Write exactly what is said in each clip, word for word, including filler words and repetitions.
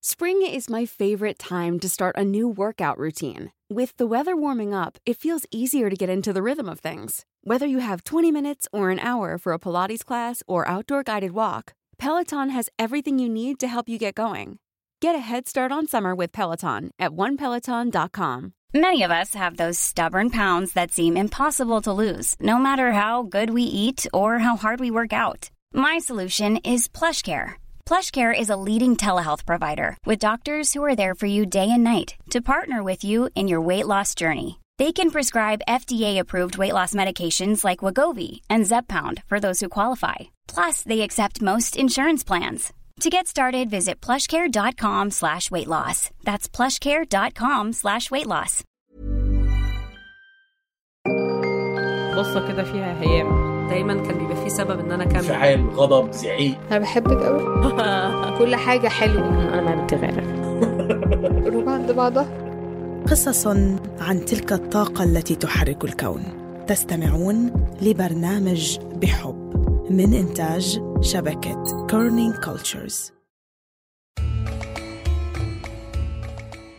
Spring is my favorite time to start a new workout routine. With the weather warming up, it feels easier to get into the rhythm of things. Whether you have twenty minutes or an hour for a Pilates class or outdoor guided walk, Peloton has everything you need to help you get going. Get a head start on summer with Peloton at one peloton dot com. Many of us have those stubborn pounds that seem impossible to lose, no matter how good we eat or how hard we work out. My solution is PlushCare. PlushCare is a leading telehealth provider with doctors who are there for you day and night to partner with you in your weight loss journey. They can prescribe F D A-approved weight loss medications like Wegovy and Zepbound for those who qualify. Plus, they accept most insurance plans. To get started, visit plushcare.com slash weight loss. That's plushcare.com slash weight loss. قصة كده فيها هيام. دايما كان بيبقى في سبب ان انا كان انفعال، غضب، زعيق. انا بحبك قوي. كل حاجة حلوة. انا ما بدي غيرك. روح عند بعضها. قصص عن تلك الطاقة التي تحرك الكون. تستمعون لبرنامج بحب من إنتاج شبكة كورنينج كولتشرز.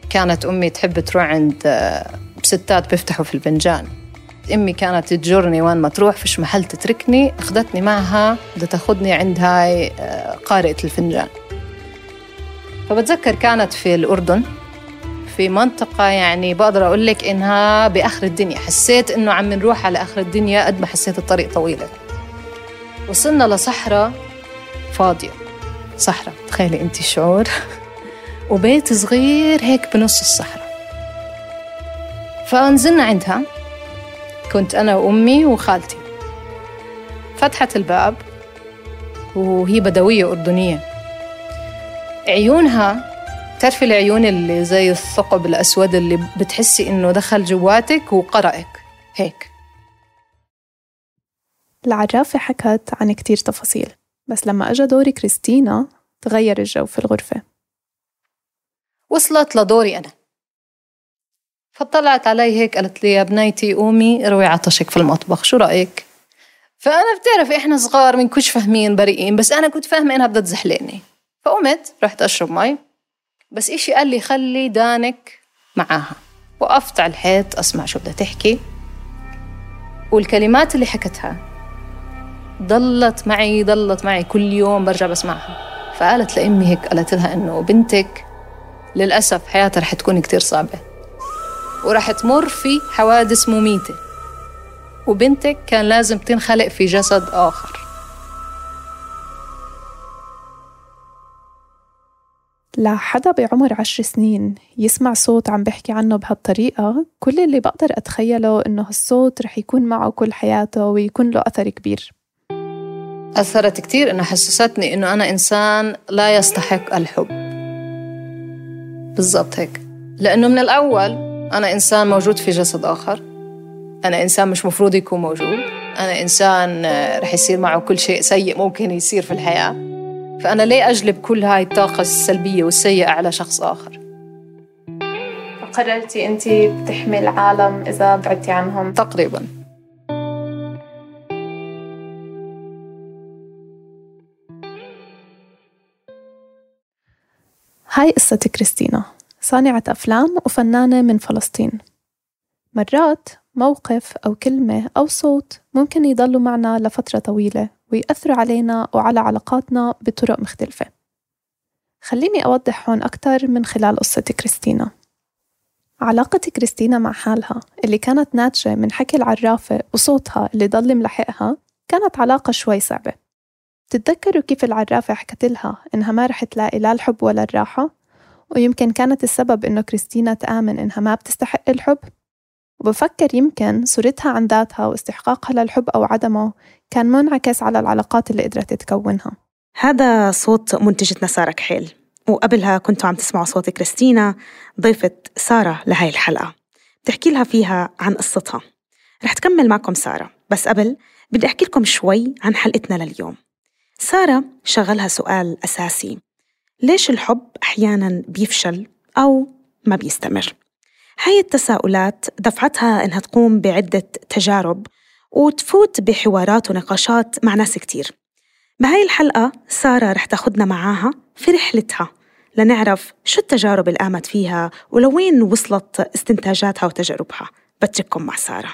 كانت أمي تحب تروح عند ستات بيفتحوا في الفنجان. أمي كانت تجرني وين ما تروح فيش محل تتركني، أخذتني معها بدها تاخدني عند هاي قارئة الفنجان. فبتذكر كانت في الأردن في منطقة يعني بقدر أقول لك إنها بآخر الدنيا. حسيت إنه عم نروح على آخر الدنيا قد ما حسيت الطريق طويلة. وصلنا لصحراء فاضية، صحراء تخيلي أنت الشعور. وبيت صغير هيك بنص الصحراء. فنزلنا عندها، كنت أنا وأمي وخالتي. فتحت الباب وهي بدوية أردنية. عيونها تعرفي العيون اللي زي الثقب الأسود اللي بتحسي إنه دخل جواتك وقرأك هيك. العرافة حكت عن كتير تفاصيل، بس لما أجا دوري كريستينا تغير الجو في الغرفة. وصلت لدوري أنا، فطلعت علي هيك قالت لي يا بنيتي قومي روي عطشك في المطبخ، شو رأيك؟ فأنا بتعرفي إحنا صغار من كنش فاهمين بريئين، بس أنا كنت فاهمة إنها بدها تزحلقني. فقمت رحت أشرب مي، بس إشي قال لي خلي دانك معاها. وقفت على الحيط أسمع شو بدها تحكي، والكلمات اللي حكتها ضلت معي ضلت معي كل يوم برجع بسمعها. فقالت لأمي هيك، قالت لها إنه بنتك للأسف حياتها رح تكون كتير صعبة ورح تمر في حوادث مميتة، وبنتك كان لازم تنخلق في جسد آخر. لحدا بعمر عشر سنين يسمع صوت عم بحكي عنه بهالطريقة، كل اللي بقدر أتخيله إنه هالصوت رح يكون معه كل حياته ويكون له أثر كبير. أثرت كتير، إنه حسستني إنه أنا إنسان لا يستحق الحب. بالضبط هيك، لأنه من الأول أنا إنسان موجود في جسد آخر، أنا إنسان مش مفروض يكون موجود، أنا إنسان رح يصير معه كل شيء سيء ممكن يصير في الحياة. فأنا ليه أجلب كل هاي الطاقة السلبية والسيئة على شخص آخر؟ فقررتي أنتي بتحمي العالم إذا بعدتي عنهم؟ تقريباً. هاي قصة كريستينا، صانعة أفلام وفنانة من فلسطين. مرات موقف أو كلمة أو صوت ممكن يضلوا معنا لفترة طويلة ويأثروا علينا وعلى علاقاتنا بطرق مختلفة. خليني أوضح هون أكتر من خلال قصة كريستينا. علاقة كريستينا مع حالها اللي كانت ناتجة من حكي العرافة وصوتها اللي ضل ملحقها كانت علاقة شوي صعبة. تتذكروا كيف العرافة حكت لها إنها ما رح تلاقي لا الحب ولا الراحة، ويمكن كانت السبب إنه كريستينا تآمن إنها ما بتستحق الحب. وبفكر يمكن صورتها عن ذاتها واستحقاقها للحب أو عدمه كان منعكس على العلاقات اللي قدرت تكونها. هذا صوت منتجتنا سارة كحيل، وقبلها كنتوا عم تسمعوا صوت كريستينا ضيفة سارة لهاي الحلقة بتحكي لها فيها عن قصتها. رح تكمل معكم سارة، بس قبل بدي أحكي لكم شوي عن حلقتنا لليوم. سارة شغلها سؤال أساسي: ليش الحب أحياناً بيفشل أو ما بيستمر؟ هاي التساؤلات دفعتها إنها تقوم بعدة تجارب وتفوت بحوارات ونقاشات مع ناس كتير. بهاي الحلقة سارة رح تاخدنا معاها في رحلتها لنعرف شو التجارب اللي قامت فيها ولوين وصلت استنتاجاتها وتجاربها. بترككم مع سارة.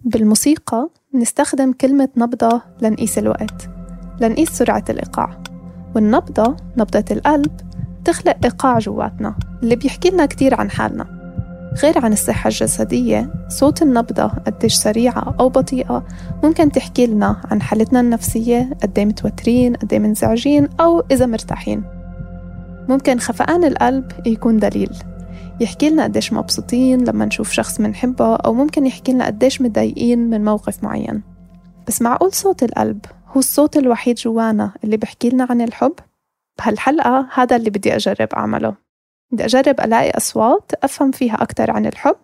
بالموسيقى نستخدم كلمة نبضة لنقيس الوقت، لنقيس سرعة الإيقاع. والنبضة، نبضة القلب، تخلق إيقاع جواتنا اللي بيحكي لنا كتير عن حالنا. غير عن الصحة الجسدية، صوت النبضة قديش سريعة أو بطيئة ممكن تحكي لنا عن حالتنا النفسية، قدي متوترين، قدي منزعجين، أو إذا مرتاحين. ممكن خفقان القلب يكون دليل يحكي لنا قديش مبسوطين لما نشوف شخص منحبه، أو ممكن يحكي لنا قديش متضايقين من موقف معين. بس معقول صوت القلب هو الصوت الوحيد جوانا اللي بحكي لنا عن الحب؟ بهالحلقة هذا اللي بدي أجرب أعمله. بدي أجرب ألاقي أصوات أفهم فيها أكتر عن الحب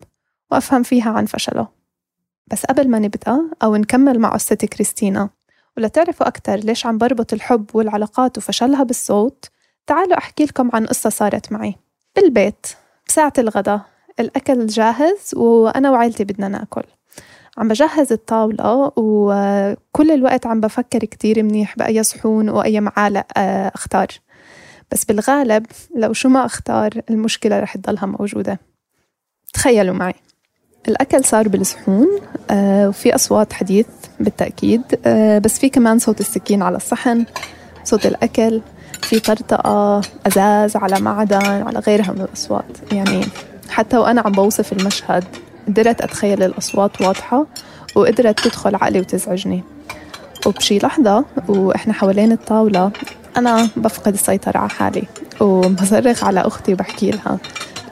وأفهم فيها عن فشله. بس قبل ما نبدأ أو نكمل مع قصة كريستينا ولا تعرفوا أكتر ليش عم بربط الحب والعلاقات وفشلها بالصوت، تعالوا أحكي لكم عن قصة صارت معي بالبيت. بساعة الغداء الأكل جاهز وأنا وعائلتي بدنا ناكل. عم بجهز الطاولة وكل الوقت عم بفكر كتير منيح بأي صحون وأي معالق أختار. بس بالغالب لو شو ما أختار المشكلة رح تضلها موجودة. تخيلوا معي، الأكل صار بالصحون وفي أصوات حديث بالتأكيد، بس في كمان صوت السكين على الصحن، صوت الأكل، في طرطقة، أزاز على معدن، على غيرها من الأصوات. يعني حتى وأنا عم بوصف المشهد قدرت أتخيل الأصوات واضحة وقدرت تدخل عقلي وتزعجني. وبشي لحظة وإحنا حوالين الطاولة أنا بفقد السيطرة على حالي وبصرخ على أختي وبحكي لها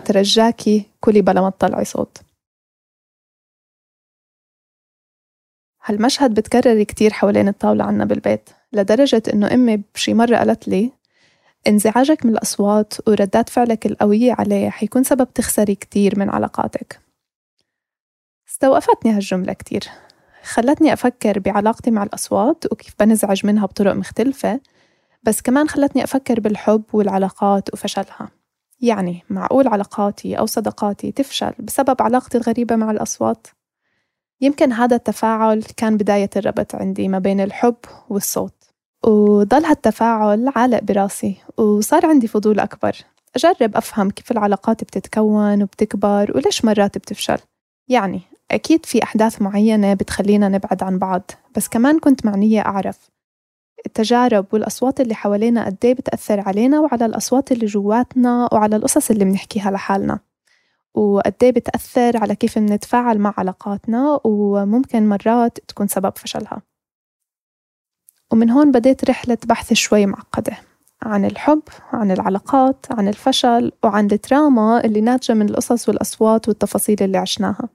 ترجاكي كلي بلا ما تطلعي صوت. هالمشهد بتكرر كتير حوالين الطاولة عنا بالبيت، لدرجة إنه أمي بشي مرة قالت لي انزعاجك من الأصوات وردات فعلك القوية عليه حيكون سبب تخسري كتير من علاقاتك. استوقفتني هالجملة كتير، خلتني أفكر بعلاقتي مع الأصوات وكيف بنزعج منها بطرق مختلفة، بس كمان خلتني أفكر بالحب والعلاقات وفشلها. يعني معقول علاقاتي أو صداقاتي تفشل بسبب علاقتي الغريبة مع الأصوات؟ يمكن هذا التفاعل كان بداية الربط عندي ما بين الحب والصوت، وضل هالتفاعل عالق براسي وصار عندي فضول أكبر أجرب أفهم كيف العلاقات بتتكون وبتكبر وليش مرات بتفشل. يعني أكيد في أحداث معينة بتخلينا نبعد عن بعض، بس كمان كنت معنية أعرف التجارب والأصوات اللي حوالينا قديه بتأثر علينا وعلى الأصوات اللي جواتنا وعلى القصص اللي بنحكيها لحالنا، وقديه بتأثر على كيف بنتفاعل مع علاقاتنا وممكن مرات تكون سبب فشلها. ومن هون بديت رحلة بحث شوي معقدة عن الحب، عن العلاقات، عن الفشل، وعن التراما اللي ناتجة من القصص والأصوات والتفاصيل اللي عشناها.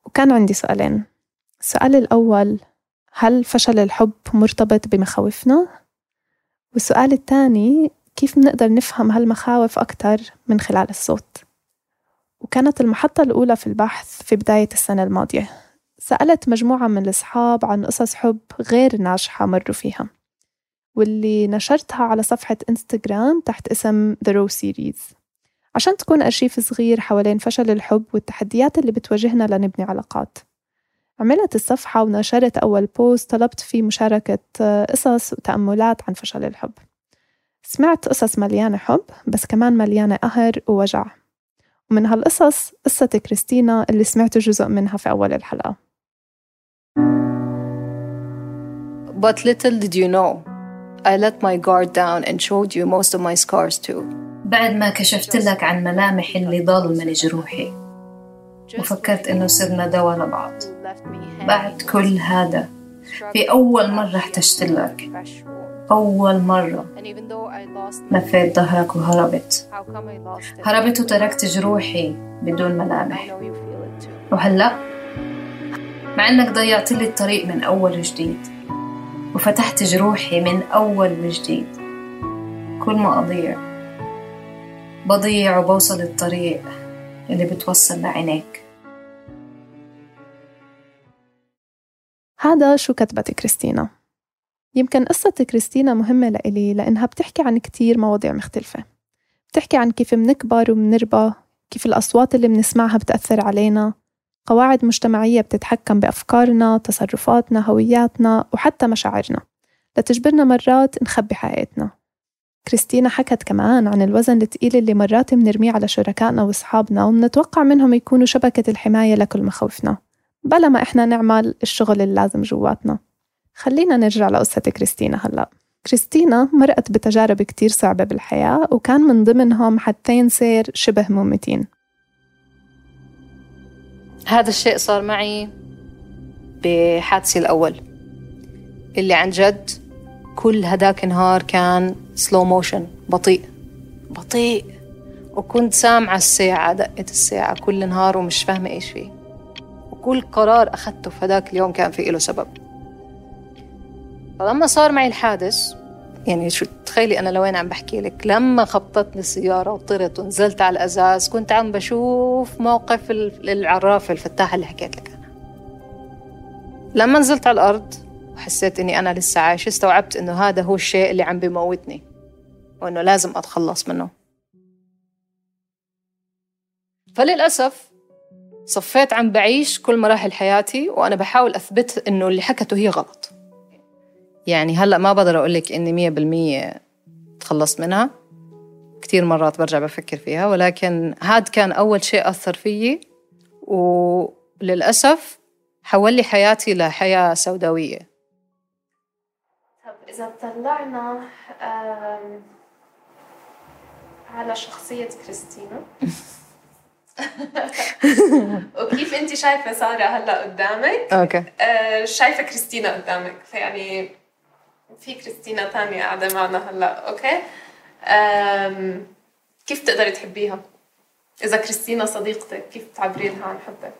وكان عندي سؤالين. السؤال الأول، هل فشل الحب مرتبط بمخاوفنا؟ والسؤال الثاني، كيف نقدر نفهم هالمخاوف أكتر من خلال الصوت؟ وكانت المحطة الأولى في البحث في بداية السنة الماضية. سألت مجموعة من الأصحاب عن قصص حب غير ناجحة مروا فيها، واللي نشرتها على صفحة إنستغرام تحت اسم The Raw Series عشان تكون أرشيف صغير حوالين فشل الحب والتحديات اللي بتواجهنا لنبني علاقات. عملت الصفحة ونشرت أول بوست طلبت فيه مشاركة قصص وتأملات عن فشل الحب. سمعت قصص مليانة حب بس كمان مليانة قهر ووجع، ومن هالقصص قصة كريستينا اللي سمعت جزء منها في أول الحلقة. But little did you know, I let my guard down and showed you most of my scars too. بعد ما كشفت لك عن ملامح اللي ضل من جروحي وفكرت إنه صرنا دوا لبعض. بعد كل هذا في أول مرة احتجت لك، أول مرة لفيت ظهرك وهربت هربت وتركت جروحي بدون ملامح. وهلأ مع إنك ضيعت لي الطريق من أول وجديد وفتحت جروحي من أول وجديد، كل ما أضيع بضيع وبوصل الطريق اللي بتوصل لعينيك. هذا شو كتبت كريستينا. يمكن قصة كريستينا مهمة لإلي لأنها بتحكي عن كتير مواضيع مختلفة. بتحكي عن كيف منكبر ومنربى، كيف الأصوات اللي بنسمعها بتأثر علينا، قواعد مجتمعية بتتحكم بأفكارنا، تصرفاتنا، هوياتنا، وحتى مشاعرنا لتجبرنا مرات نخبي حقيقتنا. كريستينا حكت كمان عن الوزن الثقيل اللي مرات بنرميه على شركائنا وأصحابنا ومنتوقع منهم يكونوا شبكة الحماية لكل مخاوفنا بلا ما إحنا نعمل الشغل اللازم جواتنا. خلينا نرجع لقصة كريستينا هلأ. كريستينا مرقت بتجارب كتير صعبة بالحياة وكان من ضمنهم حدثين سير شبه مميتين. هذا الشيء صار معي بحادثي الأول اللي عن جد كل هداك النهار كان سلو موشن، بطيء بطيء، وكنت سامعة الساعة، دقة الساعة كل نهار ومش فاهمة إيش فيه، وكل قرار أخذته في هداك اليوم كان فيه له سبب. فلما صار معي الحادث، يعني شو تخيلي أنا لوين عم بحكي لك، لما خبطتني السيارة وطرت ونزلت على الأزاز كنت عم بشوف موقف العرافة الفتاحة اللي حكيت لك أنا. لما نزلت على الأرض وحسيت إني أنا لسه عايش، استوعبت إنه هذا هو الشيء اللي عم بيموتني وإنه لازم أتخلص منه. فللأسف صفيت عم بعيش كل مراحل حياتي وأنا بحاول أثبت إنه اللي حكته هي غلط. يعني هلأ ما بقدر أقولك إني مية بالمية تخلصت منها، كتير مرات برجع بفكر فيها، ولكن هاد كان أول شيء أثر فيي وللأسف حول لي حياتي لحياة سوداوية. طب إذا طلعنا على شخصية كريستينا وكيف أنت شايفة سارة هلأ قدامك، أوكي. آه شايفة كريستينا قدامك، فيعني في كريستينا تانية قاعدة معنا هلأ، أوكي. آم كيف تقدري تحبيها؟ إذا كريستينا صديقتك كيف تعبري لها عن حبك؟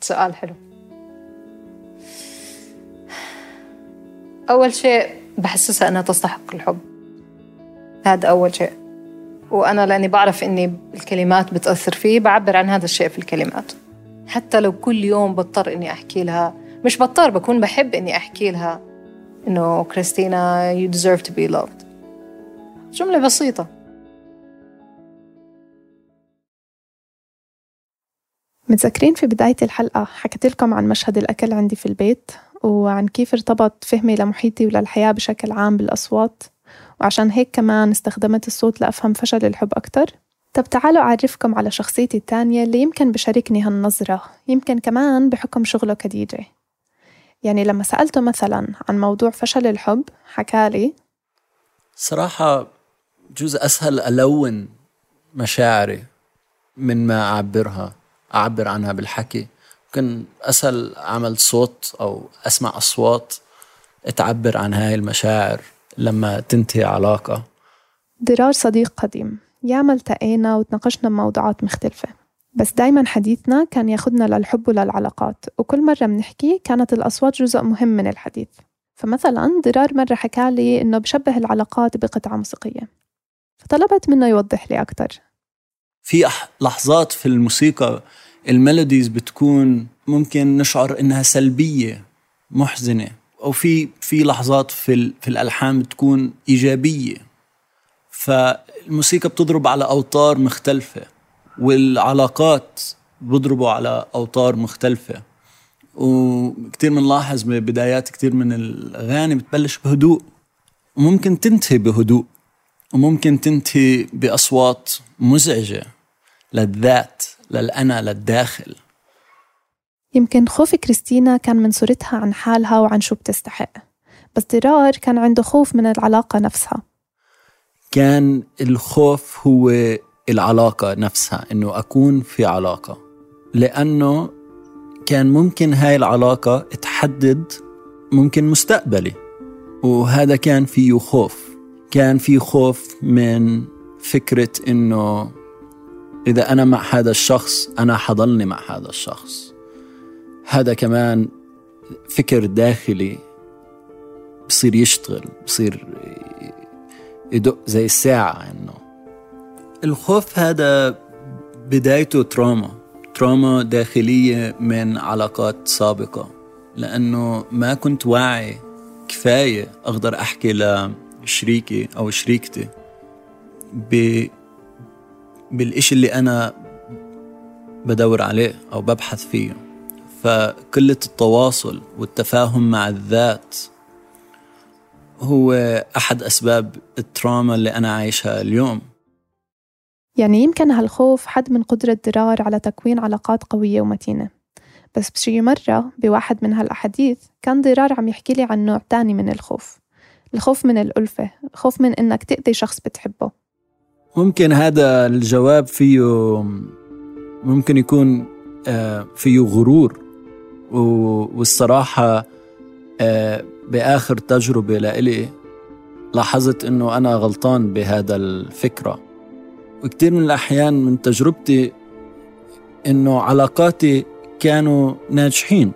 سؤال حلو. أول شيء بحسسها أنها تستحق الحب، هذا أول شيء. وأنا لأني بعرف إني الكلمات بتأثر فيه بعبر عن هذا الشيء في الكلمات، حتى لو كل يوم بضطر إني أحكي لها، مش بضطر، بكون بحب إني أحكي لها إنه كريستينا you deserve to be loved. جملة بسيطة. متذكرين في بداية الحلقة حكيت لكم عن مشهد الأكل عندي في البيت وعن كيف ارتبط فهمي لمحيطي وللحياة بشكل عام بالأصوات، وعشان هيك كمان استخدمت الصوت لأفهم فشل الحب أكتر. طب تعالوا أعرفكم على شخصيتي التانية اللي يمكن بشاركني هالنظرة، يمكن كمان بحكم شغله كدي جي. يعني لما سألته مثلا عن موضوع فشل الحب حكالي صراحة جزء أسهل ألون مشاعري من ما أعبرها أعبر عنها بالحكي. ممكن أسهل أعمل صوت أو أسمع أصوات تعبر عن هاي المشاعر لما تنتهي علاقة. ضرار صديق قديم، ياما التقينا وتناقشنا بموضوعات مختلفة، بس دايما حديثنا كان ياخدنا للحب وللعلاقات، وكل مرة بنحكي كانت الأصوات جزء مهم من الحديث. فمثلا ضرار مرة حكالي إنه بشبه العلاقات بقطعة موسيقية، فطلبت منه يوضح لي أكتر. في لحظات في الموسيقى الميلوديز بتكون ممكن نشعر إنها سلبية محزنة، أو في في لحظات في في الألحان بتكون إيجابية. فالموسيقى بتضرب على أوتار مختلفة، والعلاقات بضربوا على أوتار مختلفة. وكتير منلاحظ ببدايات كتير من الأغاني بتبلش بهدوء وممكن تنتهي بهدوء، وممكن تنتهي بأصوات مزعجة للذات، للأنا، للداخل. يمكن خوف كريستينا كان من صورتها عن حالها وعن شو بتستحق، بس ضرار كان عنده خوف من العلاقة نفسها. كان الخوف هو العلاقة نفسها، إنه أكون في علاقة، لأنه كان ممكن هاي العلاقة تحدد ممكن مستقبلي، وهذا كان فيه خوف. كان فيه خوف من فكرة إنه إذا أنا مع هذا الشخص أنا حضلني مع هذا الشخص. هذا كمان فكر داخلي بصير يشتغل، بصير يدق زي الساعة. إنه الخوف هذا بدايته تراما تراما داخلية من علاقات سابقة، لأنه ما كنت واعي كفاية أقدر أحكي لشريكي أو شريكتي ب... بالإشي اللي أنا بدور عليه أو ببحث فيه. فقلة التواصل والتفاهم مع الذات هو أحد أسباب التراما اللي أنا عايشها اليوم. يعني يمكن هالخوف حد من قدرة ضرار على تكوين علاقات قوية ومتينة. بس بشي مرة بواحد من هالأحاديث كان ضرار عم يحكي لي عن نوع تاني من الخوف، الخوف من الألفة، الخوف من إنك تأذي شخص بتحبه. ممكن هذا الجواب فيه ممكن يكون فيه غرور، والصراحة بآخر تجربة لإلي لاحظت إنه أنا غلطان بهذا الفكرة. وكتير من الأحيان من تجربتي إنه علاقاتي كانوا ناجحين،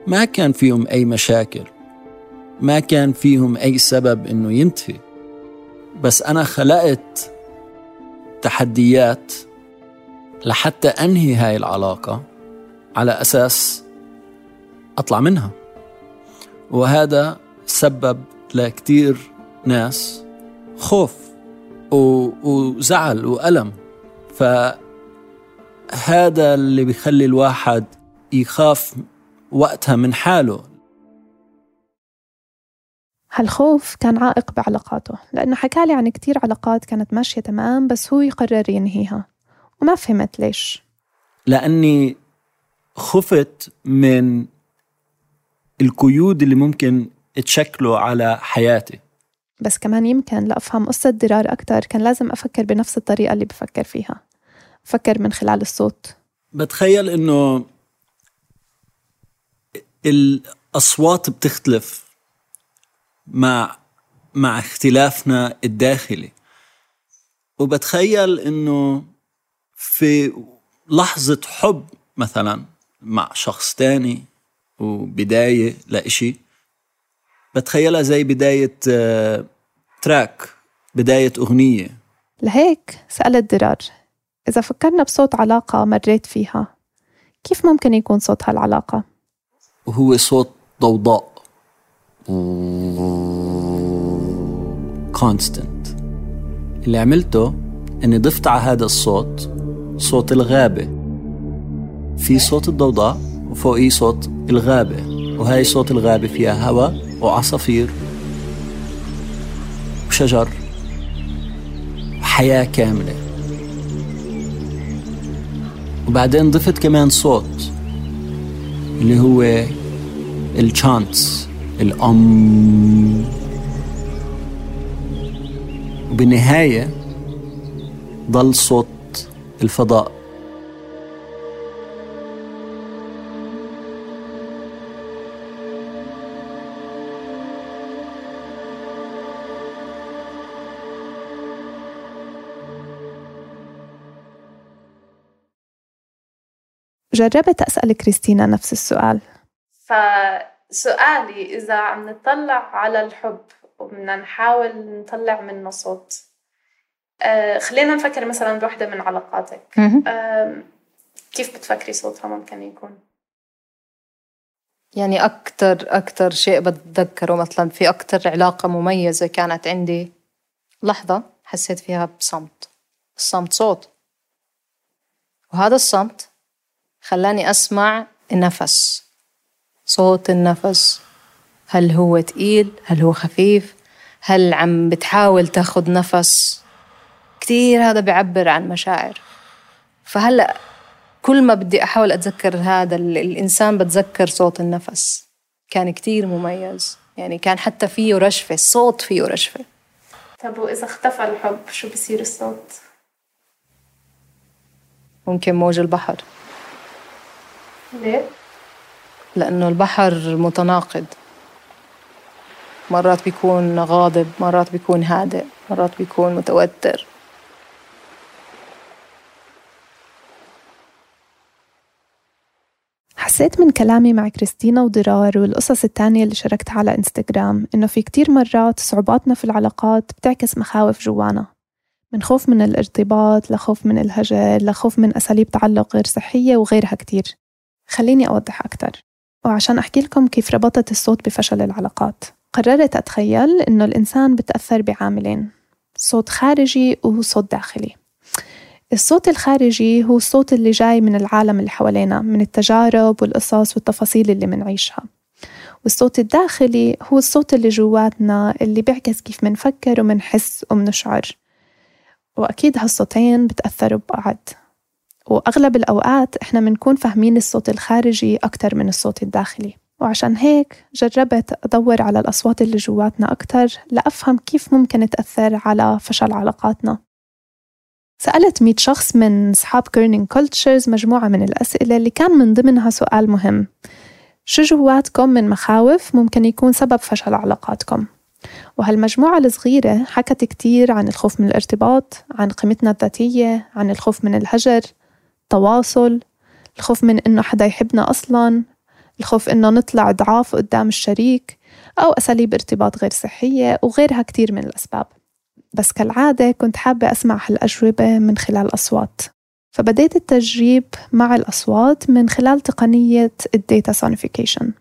ما كان فيهم أي مشاكل، ما كان فيهم أي سبب إنه ينتهي، بس أنا خلقت تحديات لحتى أنهي هاي العلاقة على أساس أطلع منها. وهذا سبب لكتير ناس خوف وزعل وألم. فهذا اللي بيخلي الواحد يخاف وقتها من حاله. هالخوف كان عائق بعلاقاته، لأنه حكالي عن كتير علاقات كانت ماشية تمام بس هو يقرر ينهيها، وما فهمت ليش. لأني خفت من القيود اللي ممكن تشكله على حياتي. بس كمان يمكن لأفهم قصة ضرار أكتر كان لازم أفكر بنفس الطريقة اللي بفكر فيها، أفكر من خلال الصوت. بتخيل إنه الأصوات بتختلف مع مع اختلافنا الداخلي، وبتخيل إنه في لحظة حب مثلا مع شخص تاني وبداية لإشي، بتخيلها زي بداية تراك، بداية أغنية. لهيك سألت ضرار، إذا فكرنا بصوت علاقة مريت فيها، كيف ممكن يكون صوت هالعلاقة؟ وهو صوت ضوضاء constant. اللي عملته أني ضفت على هذا الصوت صوت الغابة. في صوت الضوضاء وفوقيه صوت الغابة، وهاي صوت الغابة فيها هواء وعصافير وشجر وحياة كاملة. وبعدين ضفت كمان صوت اللي هو الشانتس، الأم، وبالنهاية ضل صوت الفضاء. جربت أسأل كريستينا نفس السؤال. فسؤالي إذا عم نطلع على الحب وبدنا نحاول نطلع منه صوت، آه خلينا نفكر مثلا بوحدة من علاقاتك، آه كيف بتفكري صوتها ممكن يكون؟ يعني أكتر أكتر شيء بتذكره مثلا في أكتر علاقة مميزة كانت عندي، لحظة حسيت فيها بصمت، الصمت صوت، وهذا الصمت خلاني أسمع النفس، صوت النفس، هل هو تقيل؟ هل هو خفيف؟ هل عم بتحاول تاخد نفس؟ كتير هذا بيعبر عن مشاعر. فهلأ كل ما بدي أحاول أتذكر هذا الإنسان بتذكر صوت النفس، كان كتير مميز، يعني كان حتى فيه رشفة، الصوت فيه رشفة. طب وإذا اختفى الحب شو بصير الصوت؟ ممكن موج البحر. ليه؟ لأنه البحر متناقض، مرات بيكون غاضب، مرات بيكون هادئ، مرات بيكون متوتر. حسيت من كلامي مع كريستينا وضرار والقصص التانية اللي شاركتها على إنستغرام إنه في كتير مرات صعوباتنا في العلاقات بتعكس مخاوف جوانا، من خوف من الارتباط لخوف من الهجر لخوف من أساليب تعلق غير صحية وغيرها كتير. خليني أوضح أكتر، وعشان أحكي لكم كيف ربطت الصوت بفشل العلاقات، قررت أتخيل إنه الإنسان بتأثر بعاملين، صوت خارجي وصوت داخلي. الصوت الخارجي هو الصوت اللي جاي من العالم اللي حوالينا، من التجارب والقصص والتفاصيل اللي منعيشها، والصوت الداخلي هو الصوت اللي جواتنا اللي بيعكس كيف منفكر ومنحس ومنشعر، وأكيد هالصوتين بتأثروا ببعض، وأغلب الأوقات إحنا منكون فاهمين الصوت الخارجي أكتر من الصوت الداخلي. وعشان هيك جربت أدور على الأصوات اللي جواتنا أكتر لأفهم كيف ممكن تأثر على فشل علاقاتنا. سألت مئة شخص من أصحاب كيرنينج كولتشرز مجموعة من الأسئلة اللي كان من ضمنها سؤال مهم: شو جواتكم من مخاوف ممكن يكون سبب فشل علاقاتكم؟ وهالمجموعة الصغيرة حكت كتير عن الخوف من الارتباط، عن قيمتنا الذاتية، عن الخوف من الهجر، تواصل، الخوف من إنه حدا يحبنا أصلاً، الخوف إنه نطلع ضعاف قدام الشريك، أو أساليب ارتباط غير صحية، وغيرها كتير من الأسباب. بس كالعادة كنت حابة أسمع هالأجوبة من خلال أصوات، فبديت التجريب مع الأصوات من خلال تقنية الداتا سونيفيكيشن.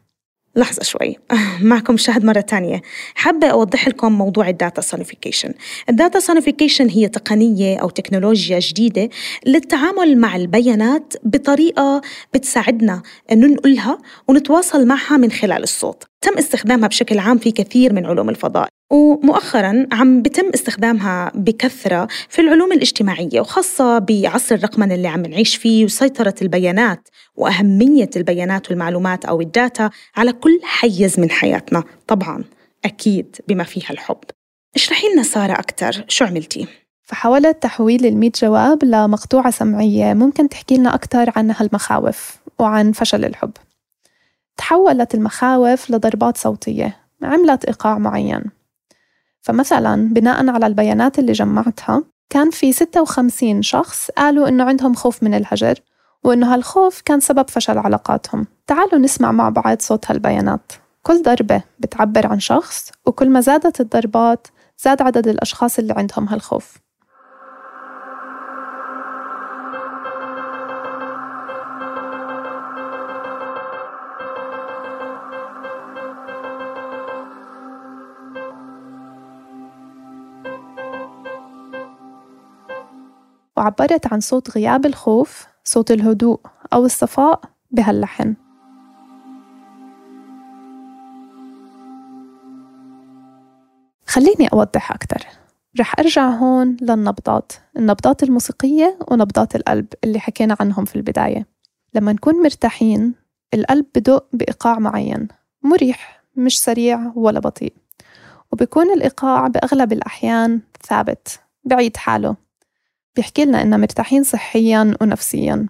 لحظة شوي، معكم شاهد مرة تانية. حابة أوضح لكم موضوع الداتا سونيفيكيشن. الداتا سونيفيكيشن هي تقنية أو تكنولوجيا جديدة للتعامل مع البيانات بطريقة بتساعدنا أن ننقلها ونتواصل معها من خلال الصوت. تم استخدامها بشكل عام في كثير من علوم الفضاء، ومؤخراً عم بتم استخدامها بكثرة في العلوم الاجتماعية، وخاصة بعصر الرقمنة اللي عم نعيش فيه وسيطرة البيانات وأهمية البيانات والمعلومات أو الداتا على كل حيز من حياتنا، طبعاً أكيد بما فيها الحب. اشرحي لنا سارة أكتر، شو عملتي؟ فحاولت تحويل المية جواب لمقطوعة سمعية ممكن تحكي لنا أكتر عن هالمخاوف وعن فشل الحب. تحولت المخاوف لضربات صوتية عملت إيقاع معين. فمثلاً بناءً على البيانات اللي جمعتها كان في ستة وخمسين شخص قالوا إنه عندهم خوف من الهجر، وإنه هالخوف كان سبب فشل علاقاتهم. تعالوا نسمع مع بعض صوت هالبيانات. كل ضربة بتعبر عن شخص، وكل ما زادت الضربات زاد عدد الأشخاص اللي عندهم هالخوف. وعبرت عن صوت غياب الخوف، صوت الهدوء أو الصفاء بهاللحن. خليني أوضح أكتر. رح أرجع هون للنبضات، النبضات الموسيقية ونبضات القلب اللي حكينا عنهم في البداية. لما نكون مرتاحين القلب بدق بإيقاع معين، مريح مش سريع ولا بطيء، وبيكون الإيقاع بأغلب الأحيان ثابت بعيد حاله، بيحكي لنا إننا مرتاحين صحياً ونفسياً.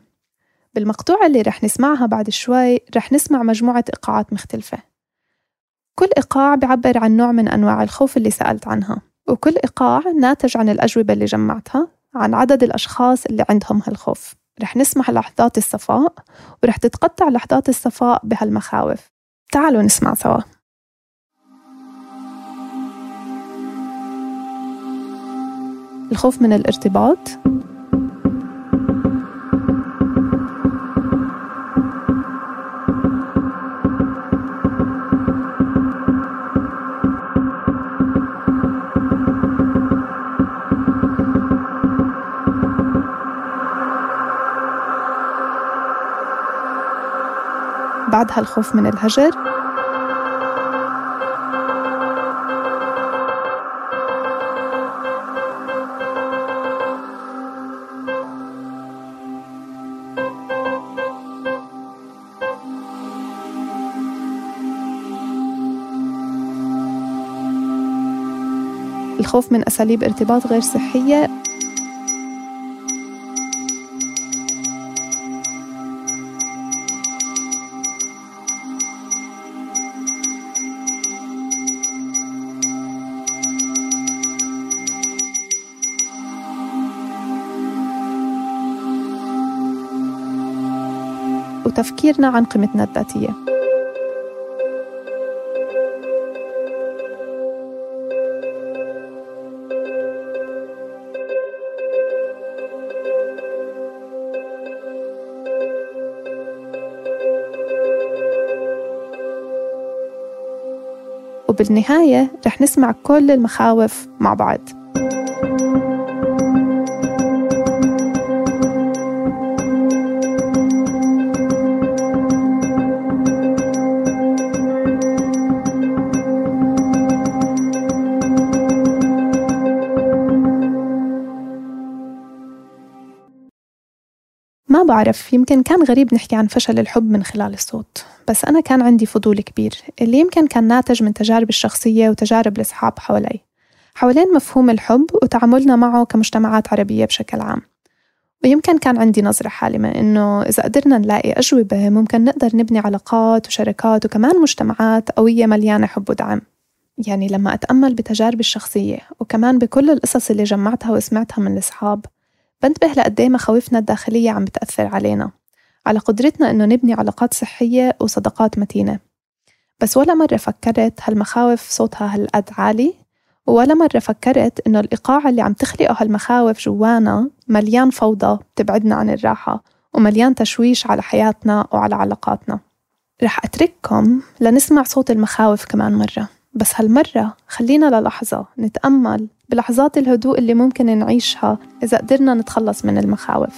بالمقطوعة اللي رح نسمعها بعد شوي رح نسمع مجموعة إيقاعات مختلفة، كل إيقاع بيعبر عن نوع من أنواع الخوف اللي سألت عنها، وكل إيقاع ناتج عن الأجوبة اللي جمعتها عن عدد الأشخاص اللي عندهم هالخوف. رح نسمع لحظات الصفاء، ورح تتقطع لحظات الصفاء بهالمخاوف. تعالوا نسمع سوا. الخوف من الارتباط، بعدها الخوف من الهجر، الخوف من أساليب ارتباط غير صحية، وتفكيرنا عن قيمتنا الذاتية. وبالنهاية رح نسمع كل المخاوف مع بعض. بعرف، يمكن كان غريب نحكي عن فشل الحب من خلال الصوت، بس أنا كان عندي فضول كبير اللي يمكن كان ناتج من تجارب الشخصية وتجارب الأصحاب حوالي حوالين مفهوم الحب وتعاملنا معه كمجتمعات عربية بشكل عام. ويمكن كان عندي نظرة حالمة إنه إذا قدرنا نلاقي أجوبة ممكن نقدر نبني علاقات وشركات وكمان مجتمعات قوية مليانة حب ودعم. يعني لما أتأمل بتجاربي الشخصية وكمان بكل القصص اللي جمعتها وسمعتها من الأصحاب، بنتبه لقديه مخاوفنا الداخلية عم بتأثر علينا، على قدرتنا إنه نبني علاقات صحية وصداقات متينة. بس ولا مرة فكرت هالمخاوف صوتها هالقد عالي، ولا مرة فكرت إنه الإيقاع اللي عم تخلقه هالمخاوف جوانا مليان فوضى بتبعدنا عن الراحة ومليان تشويش على حياتنا وعلى علاقاتنا. رح أترككم لنسمع صوت المخاوف كمان مرة، بس هالمرة خلينا للحظة نتأمل بلحظات الهدوء اللي ممكن نعيشها إذا قدرنا نتخلص من المخاوف.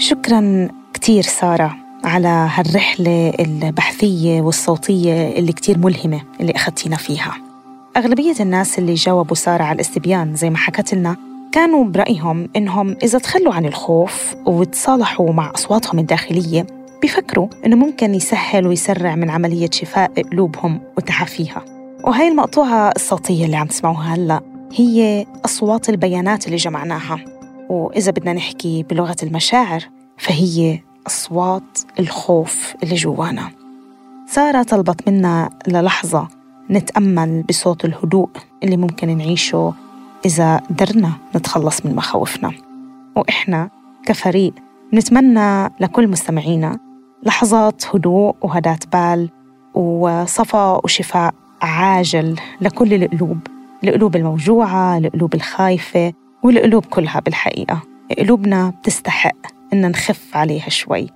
شكراً كتير سارة على هالرحلة البحثية والصوتية اللي كتير ملهمة اللي أخذتينا فيها. أغلبية الناس اللي جاوبوا سارة على الاستبيان زي ما حكت لنا كانوا برأيهم إنهم إذا تخلوا عن الخوف وتصالحوا مع أصواتهم الداخلية بيفكروا إنه ممكن يسهل ويسرع من عملية شفاء قلوبهم وتعافيها. وهي المقطوعة الصوتية اللي عم تسمعوها هلأ هي أصوات البيانات اللي جمعناها، وإذا بدنا نحكي بلغة المشاعر فهي أصوات الخوف اللي جوانا. سارة طلبت منا للحظة نتأمل بصوت الهدوء اللي ممكن نعيشه إذا قدرنا نتخلص من مخاوفنا، وإحنا كفريق نتمنى لكل مستمعينا لحظات هدوء وهداة بال وصفاء وشفاء عاجل لكل القلوب، القلوب الموجوعة، القلوب الخايفة، والقلوب كلها. بالحقيقة قلوبنا بتستحق إن نخف عليها شوي.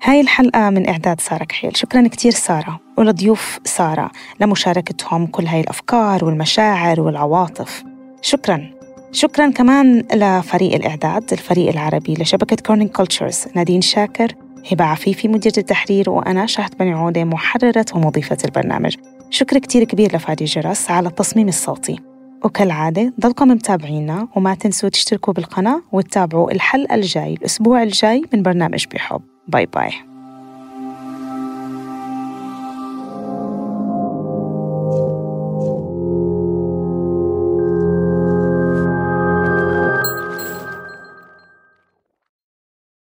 هاي الحلقة من إعداد سارة كحيل. شكراً كتير سارة ولضيوف سارة لمشاركتهم كل هاي الأفكار والمشاعر والعواطف. شكراً شكراً كمان لفريق الإعداد، الفريق العربي لشبكة كورنينج كولتشرز، نادين شاكر، هبة عفيفي مديرة التحرير، وأنا شهد بني عودة محررة ومضيفة البرنامج. شكر كتير كبير لفادي جرس على التصميم الصوتي. وكالعادة ضلكم متابعينا وما تنسوا تشتركوا بالقناة وتتابعوا الحلقة الجاي الأسبوع الجاي من برنامج بحب. باي باي.